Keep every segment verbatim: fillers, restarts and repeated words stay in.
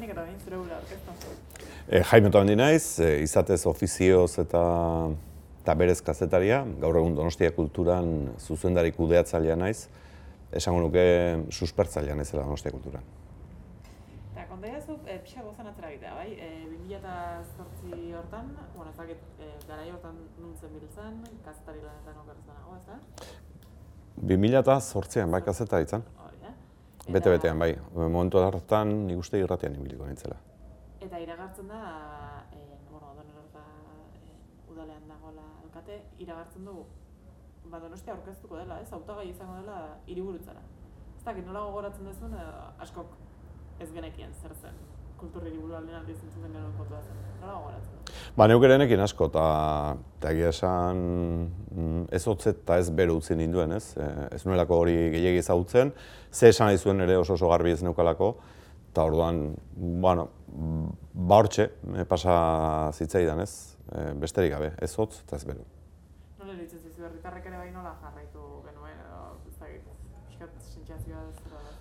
lehenik eta behin zure gure orkestan. E, Jaime Otamendi naiz, e, izatez ofizioz eta, eta berez kazetaria, gaur egun Donostia Kulturan zuzendari kudeatzailea naiz, esango nuke suspertzailea naizela Donostia Kulturan. Eta konta jazu, e, pixka gozan atzera egitea, bai? E, bi mila zortzi hortan, bueno, ezakit, e, garai hortan nuntzen biltzen, kazetari lanetan okerrezen nago, ez da? bi mila zortzian, bai, kazetari izan. Hori, eh? Bete-betean, bai. Momentu hartan nik uste irratian ibiliko nintzela. Eta iragartzen da, e, bueno, Donostia e, udalean dagoela alkate, iragartzen dugu, ba, Donostia aurkeztuko dela, ez? Hautagai izango dela hiriburutzara. Ez dakit, nola gogoratzen duzun, askok ez genekien zer zen. Kultur hiriburuaren aldiz entzuten genuen kontua zen. Nola gogoratzen dut? Ba, neuk ere nekin asko, eta egia esan ez hotzet eta ez bero utzi ninduen, ez? Ez nuelako hori gehiegi ezagutzen, ze esan nahi zuen ere oso oso garbi ez neukalako, eta orduan, bueno, ba hortxe, pasa zitzaidan, ez? Besterik gabe, ez hotz eta ez bero. Nola eritzen zizu, herritarrek ere bai nola jarraitu genuen, edo ez dakit, pixkat sentsazioa ez zera da.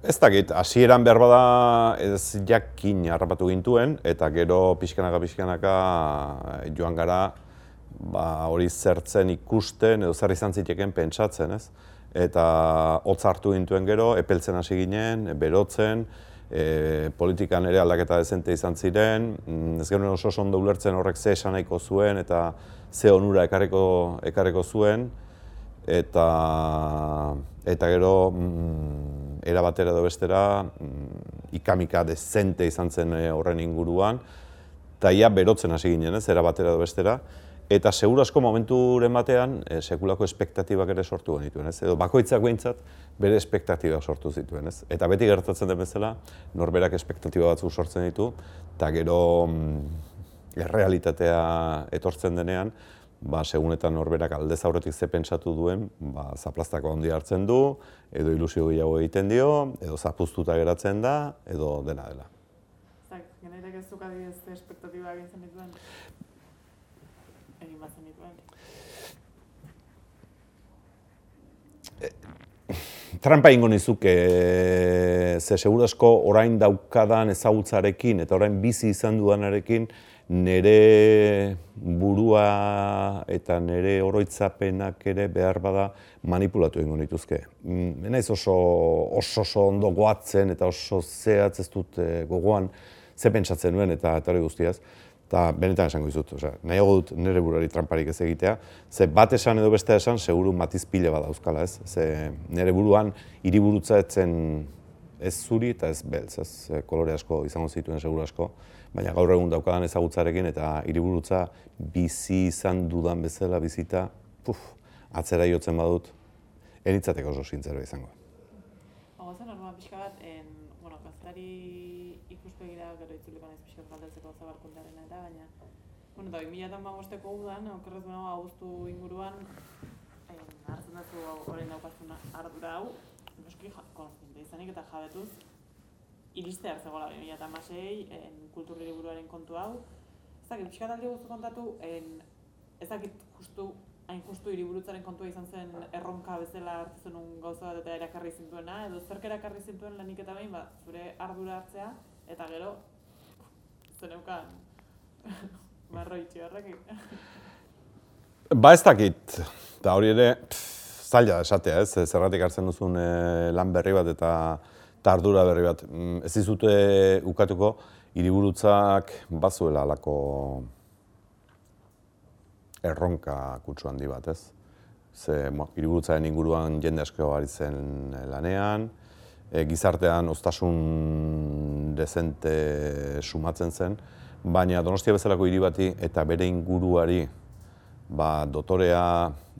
Ez dakit, hasieran behar bada ez jakin harrapatu gintuen, eta gero pixkanaka-pixkanaka joan gara ba, hori zertzen ikusten edo zer izan ziteken pentsatzen, ez? Eta hotz hartu gintuen gero, epeltzen hasi ginen, berotzen, e, politikan ere aldaketa dezente izan ziren, ez genuen oso ondo ulertzen horrek ze esan nahiko zuen eta ze onura ekarriko, ekarriko zuen, eta, eta gero mm, era batera edo bestera mm, ikamika dezente izan zen horren inguruan, eta ia berotzen hasi ginen, ez, era batera edo bestera, eta seguru asko momenturen batean e, sekulako espektatibak ere sortu genituen, ez, edo bakoitzak behintzat bere espektatibak sortu zituen, ez, eta beti gertatzen den bezala norberak espektatiba batzuk sortzen ditu, eta gero mm, errealitatea etortzen denean, ba, segunetan norberak aldez aurretik ze pentsatu duen, ba, zaplastako handi hartzen du, edo ilusio gehiago egiten dio, edo zapuztuta geratzen da, edo dena dela. Zak, genaitek ez duk adibidez espektatiba egin zen dituen? Egin bat zen dituen? Trampa ingo nizuke, ze seguru asko orain daukadan ezagutzarekin eta orain bizi izan dudanarekin nire burua eta nire oroitzapenak ere behar bada manipulatu egingo nituzke. Naiz oso, oso, oso ondo goatzen eta oso zehatz ez dut gogoan ze pentsatzen nuen eta eta hori guztiaz. Eta benetan esango dizut, osea, nahiago dut nire buruari tramparik ez egitea, ze bat esan edo beste esan seguru matiz pila bat dauzkala, ez? Ze nire buruan hiriburutza etzen ez zuri eta ez beltz, ez? Kolore asko izango zituen seguru asko, baina gaur egun daukadan ezagutzarekin eta hiriburutza bizi izan dudan bezala bizita, puf, atzera jotzen badut, enitzateko oso sintzero izango. Ogozen, orduan pixka bat, en, bueno, kazetari ikuspegira gero itzuliko naiz pixka galdetzeko zabalkuntarena eta, baina, bueno, eta bi mila hamabosteko udan, okerrez benago abuztu inguruan, en, hartzen dazu orain daukazun ardura hau, noski konstiente izanik eta jabetuz, iriste hartzegoela bi mila hamasei, kultur hiriburuaren kontu hau. Ez dakit, pixka talde guztu kontatu, en, ez dakit justu, hain justu hiriburutzaren kontua izan zen erronka bezala hartu zenun gauza bat eta erakarri zintuena, edo zerk erakarri zintuen lanik eta behin, ba, zure ardura hartzea, eta gero, zeneukan, marroi txibarrak. Ba ez dakit, eta hori ere, pff, zaila da esatea, ez, zergatik hartzen duzun e, lan berri bat eta eta ardura berri bat. Ez dizute ukatuko, hiriburutzak bazuela alako erronka kutsu handi bat, ez? Ze, bueno, hiriburutzaren inguruan jende asko ari zen lanean, e, gizartean oztasun dezente sumatzen zen, baina Donostia bezalako hiri bati eta bere inguruari ba, dotorea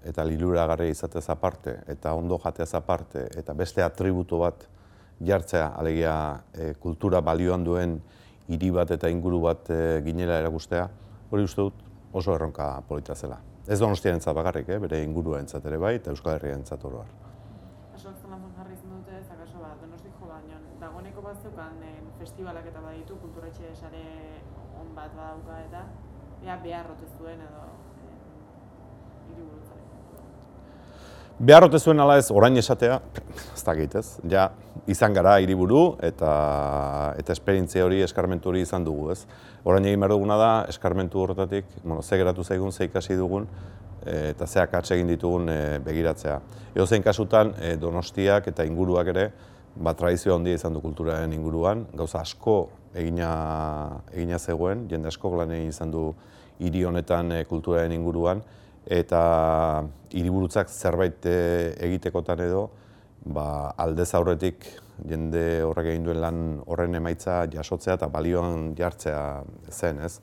eta liluragarria izatez aparte, eta ondo jateaz aparte, eta beste atributu bat jartzea, alegia e, kultura balioan duen hiri bat eta inguru bat e, ginela erakustea, hori uste dut oso erronka polita zela. Ez Donostiarentzat bakarrik, eh, bere inguruarentzat ere bai, eta Euskal Herriarentzat oro har. Asko zelantzan jarri izan dute, zakaso bat, Donosti jo baino, dagoeneko bat zeukan festibalak eta baditu, kulturetxe sare on bat badauka eta, ea behar rotez duen edo hiriburutzaren. Beharrote zuen ala ez, orain esatea, ez dakit ez, ja, izan gara hiriburu eta eta esperientzia hori, eskarmentu hori izan dugu, ez. Orain egin behar duguna da, eskarmentu horretatik, bueno, ze geratu zaigun, ze ikasi dugun, eta ze akats egin ditugun begiratzea. Edozein kasutan, Donostiak eta inguruak ere, ba, tradizio handia izan du kulturaren inguruan, gauza asko egina, egina zegoen, jende asko lan egin izan du hiri honetan kulturaren inguruan, eta hiriburutzak zerbait egitekotan edo, ba, aldez aurretik jende horrek egin duen lan horren emaitza jasotzea eta balioan jartzea zen, ez?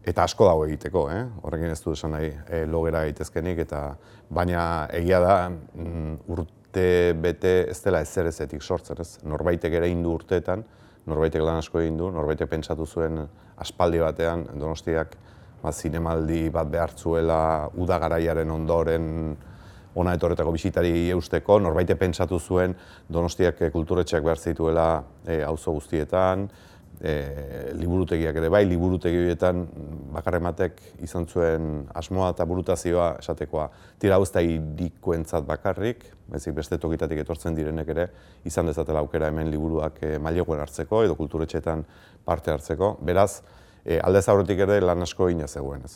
Eta asko dago egiteko, eh? Horrekin ez du esan nahi e, logera gaitezkenik, eta baina egia da urte bete ez dela ezer ezetik sortzen, ez? Norbaitek ere egin du urteetan, norbaitek lan asko egin du, norbaitek pentsatu zuen aspaldi batean Donostiak ba, zinemaldi bat behartzuela uda garaiaren ondoren ona etorretako bisitari eusteko, norbait pentsatu zuen Donostiak kulturetxeak behar zituela auzo guztietan, e, liburutegiak ere bai, liburutegi horietan bakarrematek izan zuen asmoa eta burutazioa esatekoa. Tira hau ez da hirikoentzat bakarrik, bezik beste tokitatik etortzen direnek ere izan dezatela aukera hemen liburuak e, maileguen hartzeko edo kulturetxeetan parte hartzeko. Beraz, E, aldez aurretik ere lan asko egina zegoen ez.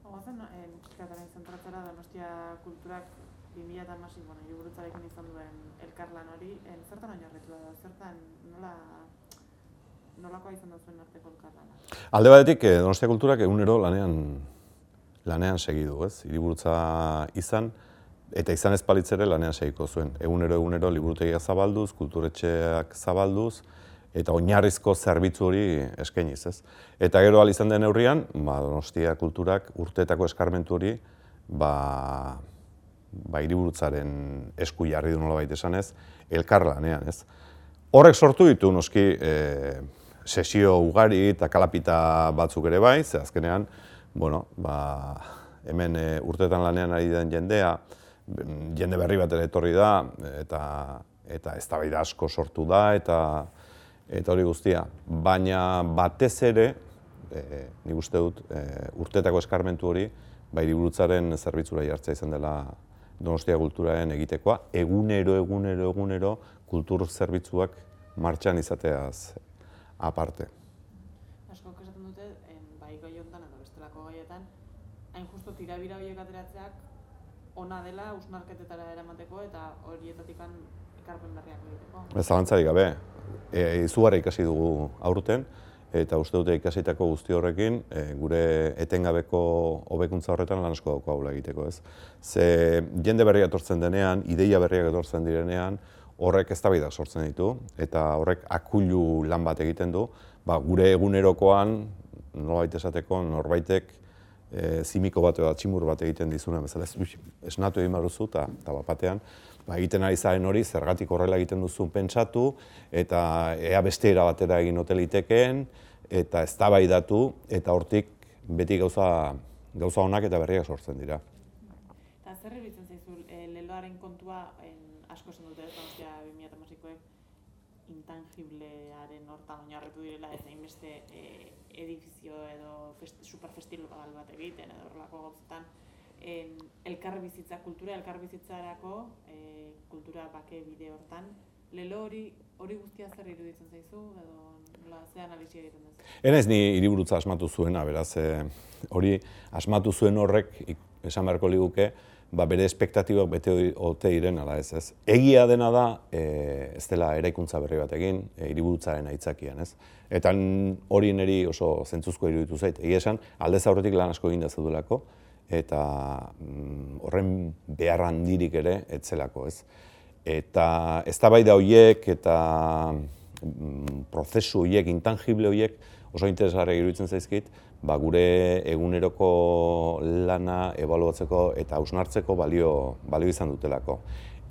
Oazen, pixkataren zentratzera Donostia kulturak bi mila hamasei, bueno, hiriburutzarekin izan duen elkarlan hori, zertan oinarritu da, zertan nola, nolakoa izan da zuen arteko elkarlana? Alde batetik, Donostia kulturak egunero lanean, lanean segidu, ez? Hiriburutza izan, eta izan ez balitz ere lanean segiko zuen. Egunero, egunero, liburutegiak zabalduz, kulturetxeak zabalduz, eta oinarrizko zerbitzu hori eskainiz, ez? Eta gero ahal izan den neurrian, ba, Donostia kulturak urteetako eskarmentu hori ba, ba hiriburutzaren esku jarri du nolabait esanez, elkarlanean, ez? Horrek sortu ditu noski e, sesio ugari eta kalapita batzuk ere bai, ze azkenean, bueno, ba, hemen e, urteetan lanean ari den jendea, jende berri bat ere etorri da, eta, eta eztabaida asko sortu da, eta eta hori guztia. Baina batez ere, e, nik uste dut, e, urteetako eskarmentu hori, ba, hiriburutzaren zerbitzura jartzea izan dela Donostia kulturaren egitekoa, egunero, egunero, egunero, kultur zerbitzuak martxan izateaz aparte. Asko esaten dute, bai gai honetan edo bestelako gaietan, hain justo tirabira horiek ateratzeak ona dela hausnarketetara eramateko eta horietatik ekarpen berriak egiteko. Ez zalantzarik gabe, e, izugarri ikasi dugu aurten, eta uste dute ikasitako guzti horrekin, e, gure etengabeko hobekuntza horretan lan asko daukagula egiteko, ez? Ze jende berriak etortzen denean, ideia berriak etortzen direnean, horrek eztabaidak sortzen ditu, eta horrek akulu lan bat egiten du, ba, gure egunerokoan, nolabait esateko, norbaitek e, zimiko bat edo tximur bat egiten dizuna, bezala esnatu egin baruzu, eta bapatean, ba, egiten ari zaren hori, zergatik horrela egiten duzun pentsatu, eta ea beste era batera egin ote litekeen, eta eztabaidatu, eta hortik beti gauza, gauza onak eta berriak sortzen dira. Eta zer iruditzen zaizu, e, leloaren kontua asko esan dute, Donostia bi mila hamaseikoek intangiblearen hortan oinarritu direla, ez hainbeste e, edifizio edo festi, superfestival bat egiten edo horrelako gauzetan, En, elkarbizitza, kultura elkarbizitzarako, e, kultura bake bide hortan, lelo hori hori guztia zer iruditzen zaizu, edo nola, ze analisi egiten duzu? Enaiz ni hiriburutza asmatu zuena, beraz, e, hori asmatu zuen horrek, esan beharko liguke, ba, bere espektatibak bete ote diren, ala ez, ez. Egia dena da, e, ez dela eraikuntza berri bat egin, e, hiriburutzaren aitzakian, ez. Eta hori niri oso zentzuzko iruditu zait. Egia esan, aldez aurretik lan asko egin da zeudulako, eta mm, horren behar handirik ere etzelako, ez. Eta eztabaida horiek eta mm, prozesu horiek, intangible horiek oso interesgarriak iruditzen zaizkit, ba, gure eguneroko lana ebaluatzeko eta hausnartzeko balio, balio izan dutelako.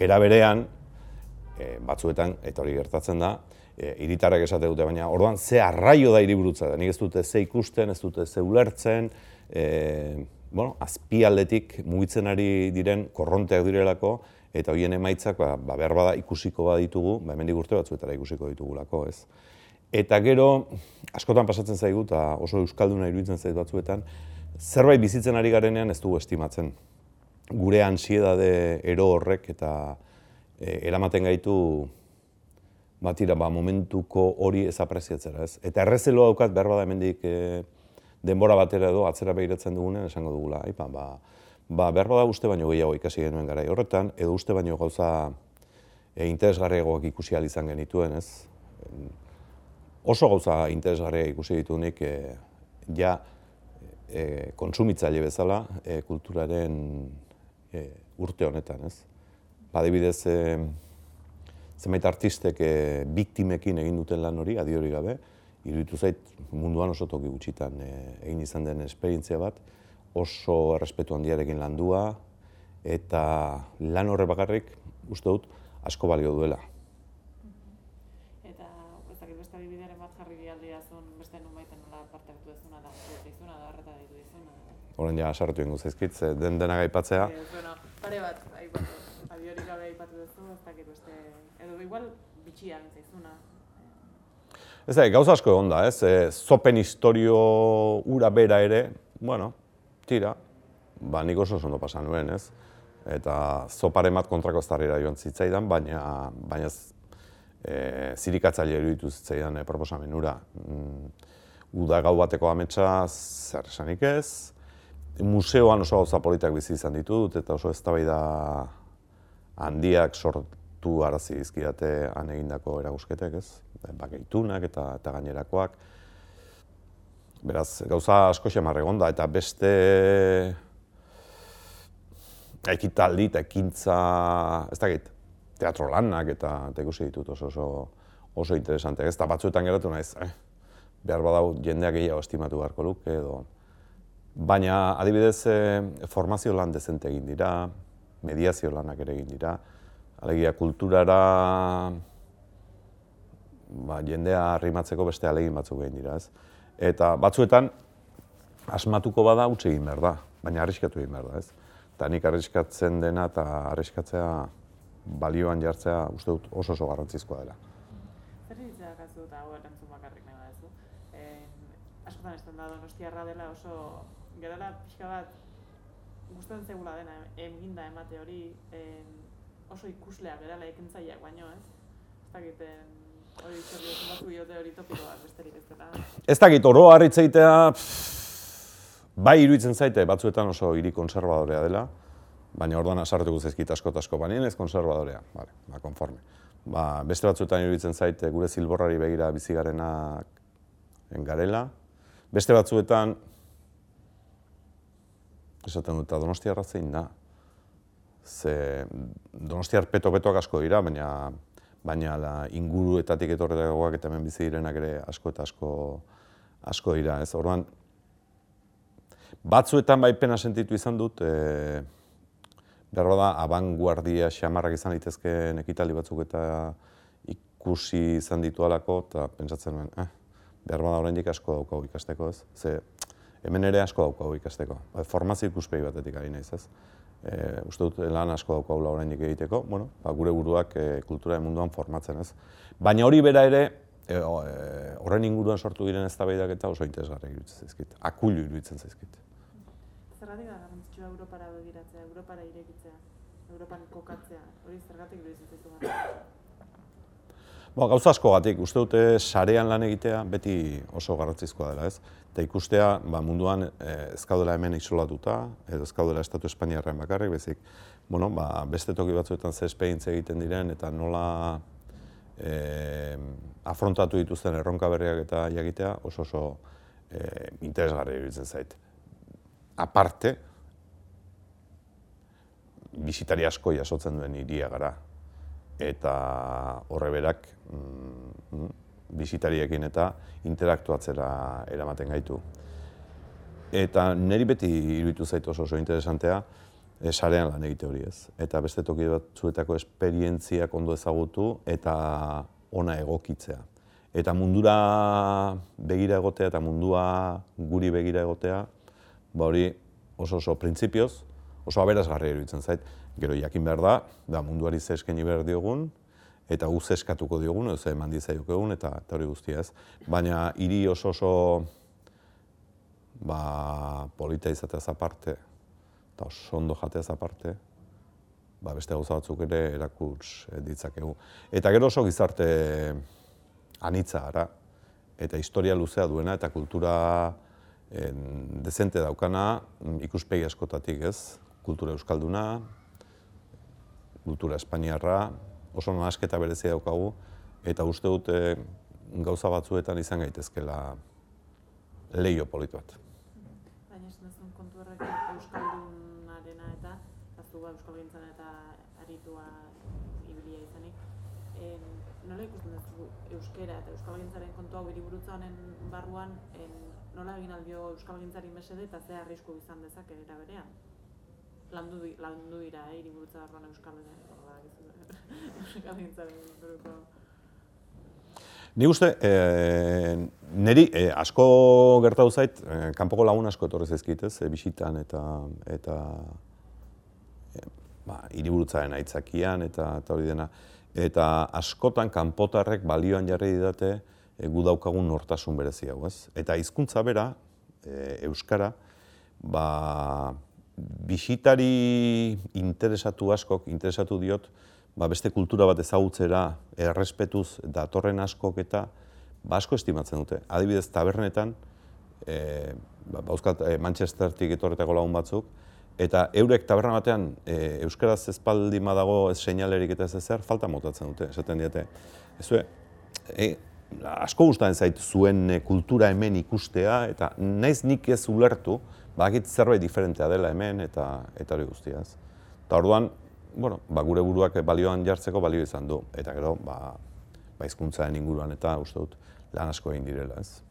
Era berean, e, batzuetan, eta hori gertatzen da, e, hiritarrek esate dute, baina orduan ze arraio da hiriburutza da, nik ez dute ze ikusten, ez dute ze ulertzen, e, bueno, azpialdetik mugitzen ari diren korronteak direlako, eta horien emaitzak ba, ba, behar bada ikusiko baditugu, ba, hemendik urte batzuetara ikusiko ditugulako, ez. Eta gero, askotan pasatzen zaigu, eta oso euskalduna iruditzen zaitu batzuetan, zerbait bizitzen ari garenean ez dugu estimatzen. gure ansiedade ero horrek eta e, eramaten gaitu batira, ba, momentuko hori ez apreziatzera, ez? Eta errezeloa daukat behar bada hemendik e, denbora batera edo atzera begiratzen dugunen esango dugula. Aipa, ba, ba, behar bada uste baino gehiago ikasi genuen garai horretan, edo uste baino gauza e, interesgarriagoak ikusi ahal izan genituen, ez? Oso gauza interesgarriak ikusi ditunik e, ja e, kontsumitzaile bezala e, kulturaren e, urte honetan, ez? Adibidez, e, zenbait artistek e, biktimekin egin duten lan hori, adi hori gabe, iruditu zait munduan oso toki gutxitan e, egin izan den esperientzia bat, oso errespetu handiarekin landua, eta lan horre bakarrik, uste dut, asko balio duela. Eta, ez dakit beste adibideren bat jarri aldiazun, beste nun baiten nola parte hartu dezuna, da izuna, da horreta ditu izuna. Horren ja, sartu ingo zaizkit, den denak aipatzea. E, bueno, pare bat, aipatu, adi hori gabe aipatu duzu, ez dakit beste, edo igual bitxia zaizuna. Ez da, gauza asko egon da, ez? E, zopen historio ura bera ere, bueno, tira, ba nik oso ondo pasa nuen, ez? Eta zoparen bat kontrako eztarrira joan zitzaidan, baina, baina e, zirikatzaile iruditu zitzaidan e, proposamen hura. Mm, uda gau bateko ametsa zer esanik ez, museoan oso gauza politak bizi izan ditut, eta oso eztabaida handiak sortu arazi dizkidate han egindako eragusketek, ez? Bakeitunak eta, eta gainerakoak. Beraz, gauza asko xamar egon da, eta beste ekitaldi eta ekintza, ez dakit, teatro lanak eta, eta ikusi ditut oso oso, oso interesanteak, ez? Eta batzuetan geratu naiz, eh? Behar badau jendeak gehiago estimatu beharko luke edo. Baina, adibidez, eh, formazio lan dezente egin dira, mediazio lanak ere egin dira, alegia kulturara ba, jendea arrimatzeko beste alegin batzuk egin dira, ez? Eta batzuetan, asmatuko bada utzi egin behar da, baina arriskatu egin behar da, ez? Eta nik arriskatzen dena eta arriskatzea balioan jartzea uste dut oso oso garrantzizkoa dela. Zer ditzea kazu eta hau erantzun bakarrik nahi badezu? Askotan esten da Donostiarra dela oso, gerala pixka bat gustatzen zegula dena eginda emate hori, oso ikuslea gerala ekintzaileak baino, ez? Ez dakiten hori zer diotzen batzu biote hori topikoak besterik ez dela. Ez dakit, oro harritzeitea, bai iruditzen zaite batzuetan oso hiri konservadorea dela, baina orduan asartuko zaizkit asko eta asko, baina ez konservadorea, vale, ba, konforme. Ba, beste batzuetan iruditzen zaite gure zilborrari begira bizigarenak garela, beste batzuetan, esaten dut, Donostiarra zein da. Ze Donostiar peto-petoak asko dira, baina baina la inguruetatik etorretakoak eta hemen bizi direnak ere asko eta asko asko dira, ez? Orduan batzuetan bai pena sentitu izan dut, e, behar bada abanguardia xamarrak izan daitezkeen ekitaldi batzuk eta ikusi izan ditualako, eta pentsatzen nuen, eh, behar bada oraindik asko daukagu ikasteko, ez? Ze hemen ere asko daukagu ikasteko. Formazio ikuspegi batetik ari naiz, ez? E, uste dut lan asko daukagula oraindik egiteko, bueno, ba, gure buruak e, kulturaren munduan formatzen, ez? Baina hori bera ere, e, e, horren inguruan sortu diren eztabaidak eta oso interesgarriak iruditzen zaizkit, akulu iruditzen zaizkit. Zergatik da garrantzitsua Europara begiratzea, Europara irekitzea, Europan kokatzea, hori zergatik iruditzen zaizu gara? Ba, gauza askogatik, uste dute sarean lan egitea beti oso garrantzizkoa dela, ez? Eta ikustea ba, munduan eh, ez gaudela hemen isolatuta, edo ez gaudela Estatu Espainiarren bakarrik, bezik, bueno, ba, beste toki batzuetan ze esperientzia egiten diren eta nola eh, afrontatu dituzten erronka berriak eta jakitea oso oso eh, interesgarria iruditzen zait. Aparte, bisitari asko jasotzen duen hiria gara. Eta horre berak mm, bisitariekin eta interaktuatzera eramaten gaitu. Eta niri beti iruditu zait oso oso interesantea e, sarean lan egite hori, ez. Eta beste toki batzuetako esperientziak ondo ezagutu eta ona egokitzea. Eta mundura begira egotea eta mundua guri begira egotea, ba hori oso oso printzipioz, oso aberasgarria iruditzen zait. Gero jakin behar da, da munduari ze eskaini behar diogun, eta gu ze eskatuko diogun, edo ze eman diezaiokegun, eta, eta hori guztia ez. Baina hiri oso oso ba, polita izateaz aparte, eta oso ondo jateaz aparte, ba, beste gauza batzuk ere erakuts ditzakegu. Eta gero oso gizarte anitza gara, eta historia luzea duena, eta kultura en, dezente daukana ikuspegi askotatik, ez? Kultura euskalduna, kultura espainiarra, oso nahasketa berezia daukagu, eta uste dute gauza batzuetan izan gaitezkela leiho polit bat. Baina esan duzun kontu horrek euskaldunarena eta aztu euskalgintzan eta aritua ibilia izanik. En, nola ikusten duzu euskera eta euskalgintzaren kontu hau hiriburutza honen barruan en, nola egin aldio euskalgintzari mesede eta ze arrisku izan dezake era berean? Landu, landu dira, eh, hiriburutza barruan euskalgintzaren buruko. Ni uste, e, niri e, asko gertatu zait, e, kanpoko lagun asko etorri zaizkit, ez, e, bisitan eta eta e, ba, hiriburutzaren aitzakian eta eta hori dena. Eta askotan kanpotarrek balioan jarri didate e, gu daukagun nortasun berezi hau, ez? Eta hizkuntza bera, e, euskara, ba, bisitari interesatu askok, interesatu diot, ba, beste kultura bat ezagutzera errespetuz datorren askok eta ba, asko estimatzen dute. Adibidez, tabernetan, e, ba, bauzkat e, Manchestertik etorretako lagun batzuk, eta eurek taberna batean e, euskaraz ez baldin badago ez seinalerik eta ez ezer, falta motatzen dute, esaten diete. Ezue, e, asko gustatzen zait zuen e, kultura hemen ikustea, eta naiz nik ez ulertu, badakit zerbait diferentea dela hemen eta eta hori guztiaz. Eta orduan, bueno, ba, gure buruak balioan jartzeko balio izan du, eta gero, ba, ba hizkuntzaren inguruan eta uste dut lan asko egin direla, ez.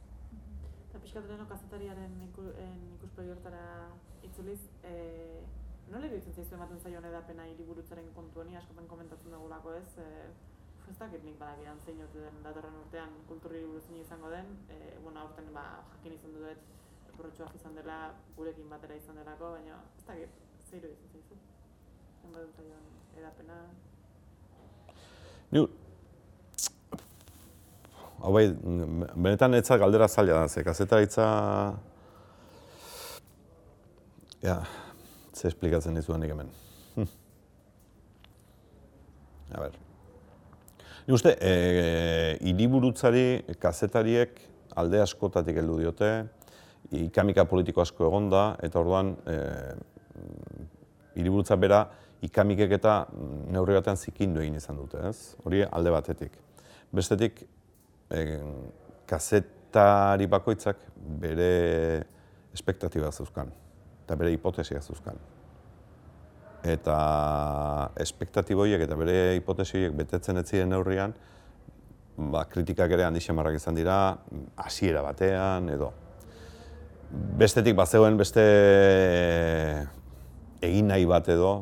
Eta pixkat leheno kazetariaren ikuspegi hortara itzuliz, e, nola iruditzen zaizu ematen zaion edapena hiriburutzaren kontu honi, askotan komentatzen dugulako ez, e, ez dakit nik badakidan zein ote den datorren urtean kultur hiriburutzein izango den, e, bueno, aurten ba, jakin izan dut borrotxoak izan dela, gurekin batera izan delako, baina ez dakit, ze iruditzen zaizu? Zenbat zaion edapena? Ni, hau bai, benetan etza galdera zaila da, ze kazetaritza... Ja, ze esplikatzen dizudan nik hemen. Hm. A ber. Ni uste, e, hiriburutzari kazetariek alde askotatik heldu diote, ikamika politiko asko egonda, eta orduan e, hiriburutza bera ikamikek eta neurri batean zikindu egin izan dute, ez? Hori alde batetik. Bestetik, e, kazetari bakoitzak bere espektatiba zeuzkan, eta bere hipotesia zeuzkan. Eta espektatiboiek eta bere hipotesiek betetzen ez ziren neurrian, ba, kritikak ere handi xamarrak izan dira, hasiera batean edo. Bestetik bazegoen beste egin nahi bat edo,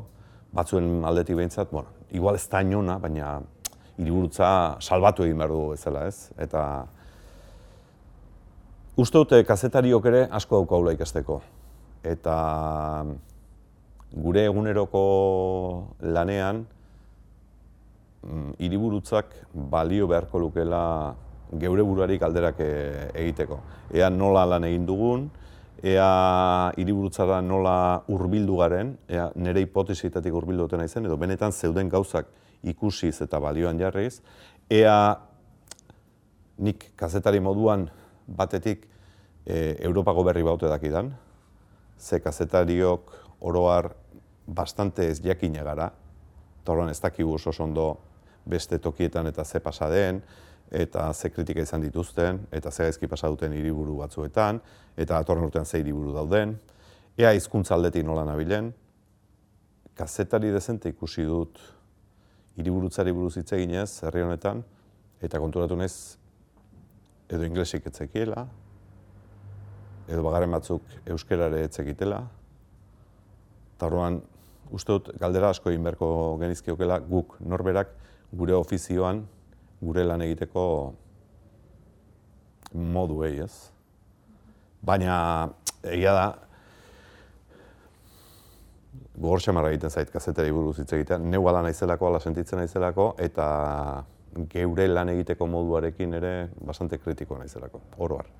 batzuen aldetik behintzat, bueno, igual ez da inona, baina hiriburutza salbatu egin behar dugu bezala, ez? Eta uste dute kazetariok ere asko daukagula ikasteko. Eta gure eguneroko lanean hiriburutzak balio beharko lukela geure buruari galderak egiteko. Ea nola lan egin dugun, ea hiriburutzara nola hurbildu garen, ea nire hipotesitatik hurbildu duten naizen, edo benetan zeuden gauzak ikusiz eta balioan jarriz, ea nik kazetari moduan batetik e, Europako berri baute dakidan, ze kazetariok oroar bastante ez jakina gara, eta horren ez dakigu oso ondo beste tokietan eta ze pasa den, eta ze kritika izan dituzten, eta ze gaizki pasa duten hiriburu batzuetan, eta datorren urtean ze hiriburu dauden, ea hizkuntza aldetik nola nabilen, kazetari dezente ikusi dut hiriburutzari buruz hitz eginez herri honetan, eta konturatu naiz edo inglesik ez zekiela, edo bagarren batzuk euskerare ez zekitela, eta orduan uste dut galdera asko egin beharko genizkiokela guk norberak gure ofizioan gure lan egiteko moduei, ez? Baina egia da, gogor xamarra egiten zait kazetari buruz hitz egitea, neu ala naizelako, ala sentitzen naizelako, eta geure lan egiteko moduarekin ere bastante kritiko naizelako, oro har.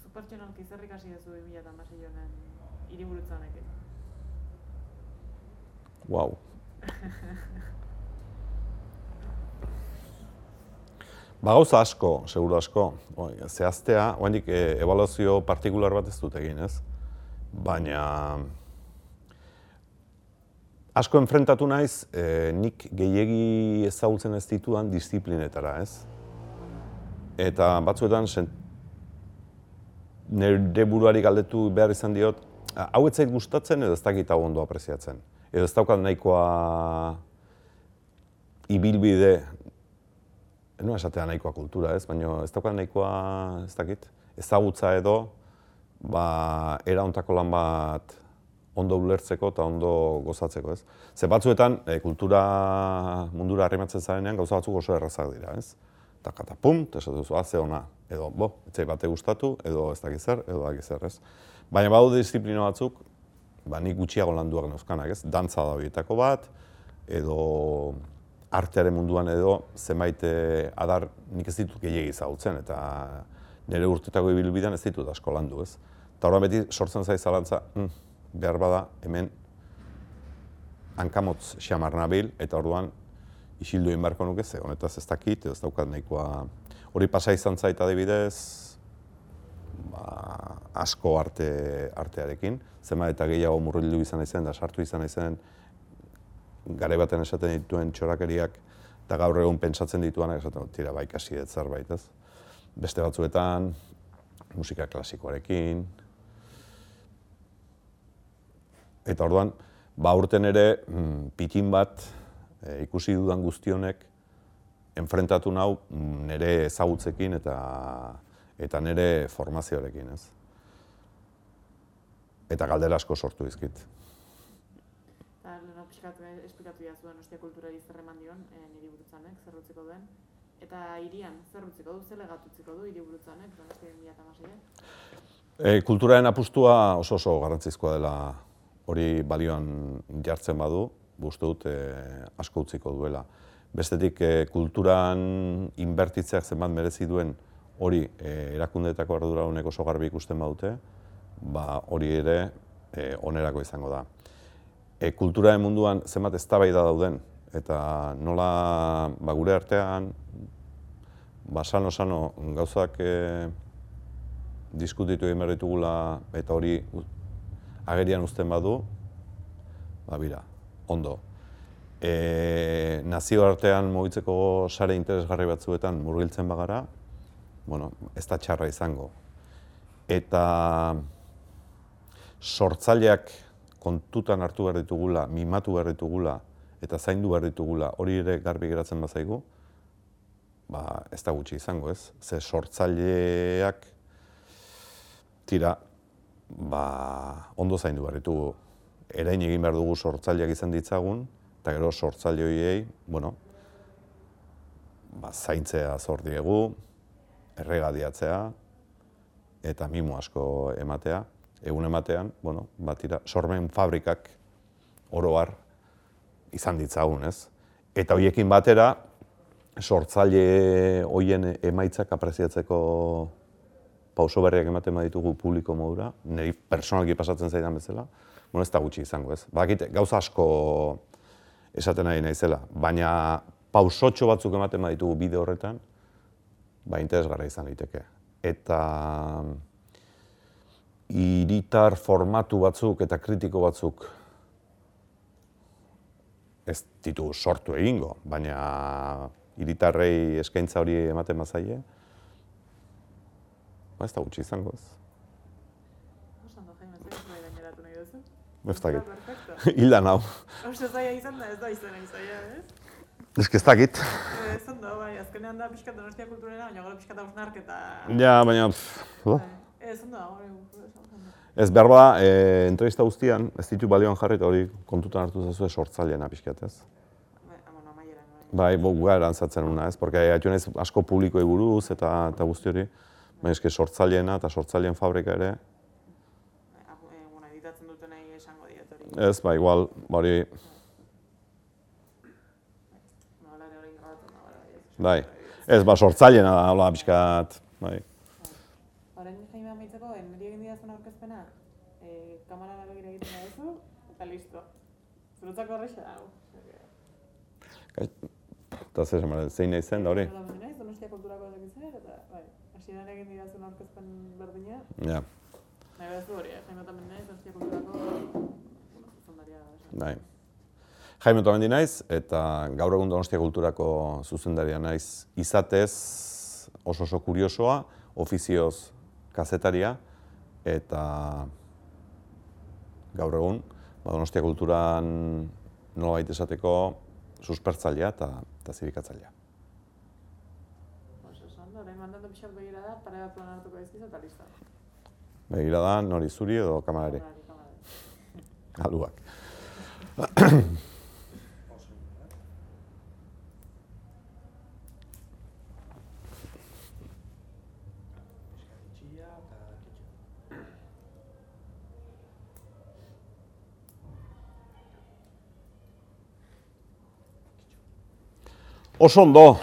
Zu pertsonalki zer ikasi duzu bi mila hamasei honen hiriburutza honekin? Wow. Ba gauza asko, seguru asko, zehaztea, oraindik ebaluazio partikular bat ez dut egin, ez? Baina asko enfrentatu naiz, nik gehiegi ezagutzen ez ditudan disiplinetara, ez? Eta batzuetan nire buruari galdetu behar izan diot, hau ez zait gustatzen edo ez dakit hau ondo apreziatzen. Edo ez daukat nahikoa ibilbide, eno esatea nahikoa kultura, ez? Baina ez daukat nahikoa, ez dakit, ezagutza edo, ba, era hontako lan bat ondo ulertzeko eta ondo gozatzeko, ez? Ze batzuetan, kultura mundura arrimatzen zarenean gauza batzuk oso errazak dira, ez? Eta kata pum, eta esatu duzu, ze ona, edo, bo, etzai bate gustatu, edo ez dakit zer, edo dakit zer, ez? Baina badu disiplina batzuk, ba, nik gutxiago landuak neuzkanak, ez? Dantza da horietako bat, edo artearen munduan edo zenbait adar nik ez ditut gehiegi ezagutzen, eta nire urtetako ibilbidean ez ditut asko landu, ez? Eta horren beti sortzen zaiz zalantza, mm, behar bada hemen hankamotz xamar nabil, eta orduan isildu egin beharko nuke, ze honetaz ez dakit, ez daukat nahikoa. Hori pasa izan zait adibidez, ba, asko arte, artearekin, zenbat eta gehiago murrildu izan naizen, da sartu izan naizen, garai baten esaten dituen txorakeriak, eta gaur egun pentsatzen dituanak esaten dut, tira, ba, ikasi dut zerbait, ez? Beste batzuetan, musika klasikoarekin. Eta orduan, ba, urten ere, pitin bat, e, ikusi dudan guztionek, enfrentatu nau nire ezagutzekin eta, eta nire formazioarekin, ez? Eta galdera asko sortu dizkit. Eta, leheno, pixkat, esplikatu jazu Donostia kulturari zer eman dion, niri burutzanek, zer utziko duen. Eta hirian, zer utziko du, zer legatutziko du hiri burutzanek, Donostia bi mila hamaseiak? E, kulturaren apustua oso oso garrantzizkoa dela hori balioan jartzen badu, uste dut e, asko utziko duela. Bestetik, e, kulturan inbertitzeak zenbat merezi duen hori e, erakundeetako arduradunek oso garbi ikusten badute, ba, hori ere e, onerako izango da. E, kulturaren munduan zenbat eztabaida dauden, eta nola ba, gure artean ba, sano-sano gauzak e, diskutitu egin behar ditugula eta hori agerian uzten badu, ba, bira, ondo. E, nazioartean mugitzeko sare interesgarri batzuetan murgiltzen bagara, bueno, ez da txarra izango. Eta sortzaileak kontutan hartu behar ditugula, mimatu behar ditugula, eta zaindu behar ditugula, hori ere garbi geratzen bazaigu, ba, ez da gutxi izango, ez? Ze sortzaileak, tira, ba, ondo zaindu behar ditugu. Erain egin behar dugu sortzaileak izan ditzagun, eta gero sortzaile horiei, bueno, ba, zaintzea zor diegu, erregadiatzea, eta mimo asko ematea. Egun ematean, bueno, bat ira, sormen fabrikak oro har izan ditzagun, ez? Eta horiekin batera, sortzaile horien emaitzak apreziatzeko pauso berriak ematen baditugu publiko modura, niri personalki pasatzen zaidan bezala, bueno, ez da gutxi izango, ez? Badakit, gauza asko esaten ari naizela, baina pausotxo batzuk ematen baditugu bide horretan, ba, interesgarria izan liteke. Eta hiritar formatu batzuk eta kritiko batzuk ez ditugu sortu egingo, baina hiritarrei eskaintza hori ematen bazaie, ba, ez da gutxi izango, ez. Osando, Jaime, ez da gaineratu nahi duzu? Ez dakit. Hildan hau. Oso zaila izan da, ez da izan zaila, ez? Ez ez dakit. Ez ondo, bai, azkenean da pixkat Donostia kulturera, baina gero pixkat hausnarketa... Ja, baina... Ez ondo, hori... Ez behar bada, e, entrevista guztian, ez ditu balioan jarri eta hori kontutan hartu zazue sortzaileena pixkat, ez? Bai, bo, gara erantzatzen una, ez? Porque haitu nahiz asko publikoei buruz eta, eta guzti hori, baina eske sortzaileena eta sortzaileen fabrika ere... Bueno, editatzen duten nahi esango diet hori. Ez, ba, igual, hori... Bai, ez, ba, sortzaileena da, hola, pixkat, bai. Horren Jaime amaitzeko, niri egin didazun aurkezpena, kamarara begira egiten duzu, eta listo. Zuretzako horreixa da, hau. Eta zer esan, zein nahi zen da hori? Nola bendi naiz, Donostia kulturako ezakitzen, eta bai, hasieran egin didazun aurkezpen berdina. Ja. Nahi behaz du hori, eh? Jaime Otamendi naiz, Donostia kulturako, bueno, zuzendaria da. Bai. Jaime Otamendi naiz, eta gaur egun Donostia kulturako zuzendaria naiz izatez oso oso kuriosoa, ofizioz kazetaria, eta gaur egun Donostia kulturan nolabait esateko suspertzailea eta, eta zirikatzailea. Oso, esan da, orain mandando pixat begira da, pare bat plan hartuko dizkizu eta lista. Begira da, nori zuri edo kamarari? Kamarari, kamarari. Aluak. Oso ondo,